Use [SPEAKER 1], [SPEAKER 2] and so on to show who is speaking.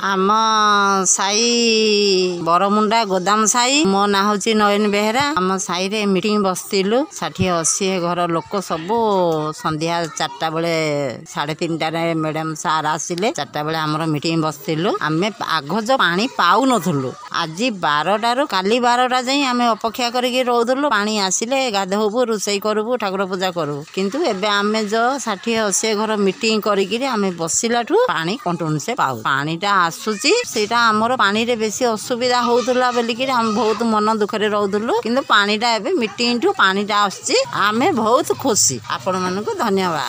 [SPEAKER 1] ଆମ ସାହି ବରମୁଣ୍ଡା ଗୋଦାମ ସାହି। ମୋ ନାଁ ହେଉଛି ନୟନ ବେହେରା। ଆମ ସାହିରେ ମିଟିଂ ବସିଥିଲୁ, 60-80 ଘର ଲୋକ ସବୁ। ସନ୍ଧ୍ୟା 4ଟା ବେଳେ, 3:30ରେ ମ୍ୟାଡ଼ାମ ସାର୍ ଆସିଲେ। 4ଟା ବେଳେ ଆମର ମିଟିଂ ବସିଥିଲୁ। ଆମେ ଆଗ ଯେଉଁ ପାଣି ପାଉନଥିଲୁ, ଆଜି 12ଟାରୁ କାଲି 12ଟା ଯାଇ ଆମେ ଅପେକ୍ଷା କରିକି ରହୁଥିଲୁ, ପାଣି ଆସିଲେ ଗାଧୋଇବୁ, ରୋଷେଇ କରିବୁ, ଠାକୁର ପୂଜା କରିବୁ। କିନ୍ତୁ ଏବେ ଆମେ ଯେଉଁ 60-80 ଘର ମିଟିଂ କରିକିରି ଆମେ ବସିଲାଠୁ ପାଣି କଣ୍ଟିନ୍ୟୁସ୍ ପାଉ, ପାଣିଟା ଆସୁଛି। ସେଇଟା ଆମର ପାଣିରେ ବେଶୀ ଅସୁବିଧା ହଉଥିଲା ବୋଲିକିରି ଆମେ ବହୁତ ମନ ଦୁଃଖରେ ରହୁଥିଲୁ। କିନ୍ତୁ ପାଣିଟା ଏବେ ମିଟିଂଠୁ ପାଣିଟା ଆସୁଛି, ଆମେ ବହୁତ ଖୁସି। ଆପଣମାନଙ୍କୁ ଧନ୍ୟବାଦ।